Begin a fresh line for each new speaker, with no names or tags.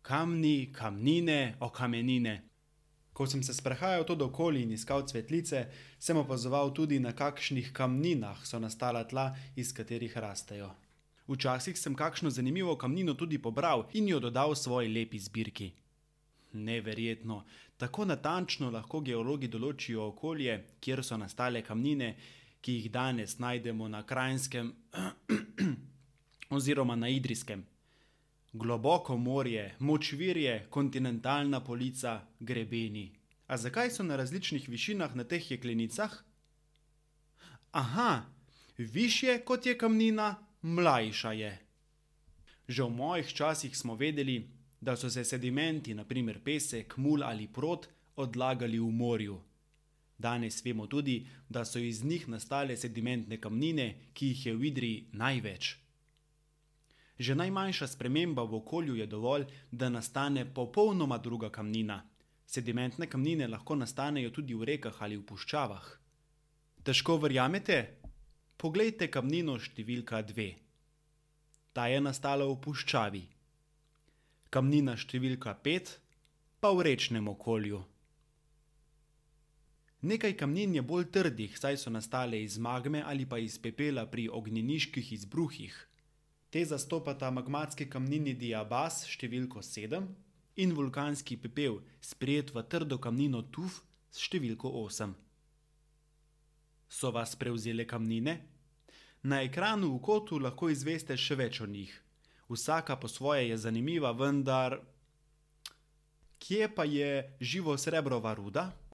kamni, kamnine, okamenine. Ko sem se sprehajal to okoli in iskal cvetlice, sem opazoval tudi, na kakšnih kamninah so nastala tla, iz katerih rastejo. Včasih sem kakšno zanimivo kamnino tudi pobral in jo dodal svoji lepi zbirki. Neverjetno, tako natančno lahko geologi določijo okolje, kjer so nastale kamnine, ki jih danes najdemo na Kranjskem oziroma na Idrijskem. Globoko morje, močvirje, kontinentalna polica, grebeni. A zakaj so na različnih višinah na teh jeklenicah? Aha, višje kot je kamnina, mlajša je. Že v mojih časih smo vedeli, da so se sedimenti, na primer pesek, mul ali prod, odlagali v morju. Danes vemo tudi, da so iz njih nastale sedimentne kamnine, ki jih je v Idriji največ. Že najmanjša sprememba v okolju je dovolj, da nastane popolnoma druga kamnina. Sedimentne kamnine lahko nastanejo tudi v rekah ali v puščavah. Težko verjamete? Poglejte kamnino številka 2. Ta je nastala v puščavi. Kamnina številka 5 pa v rečnem okolju. Nekaj kamnin je bolj trdih, saj so nastale iz magme ali pa iz pepela pri ognjeniških izbruhih. Te zastopata magmatski kamnini diabas številko 7 in vulkanski pepel, sprejet v trdo kamnino tuf s številko 8. So vas prevzele kamnine? Na ekranu v kotu lahko izveste še več o njih. Vsaka po svoje je zanimiva, vendar kje pa je živo srebrova ruda?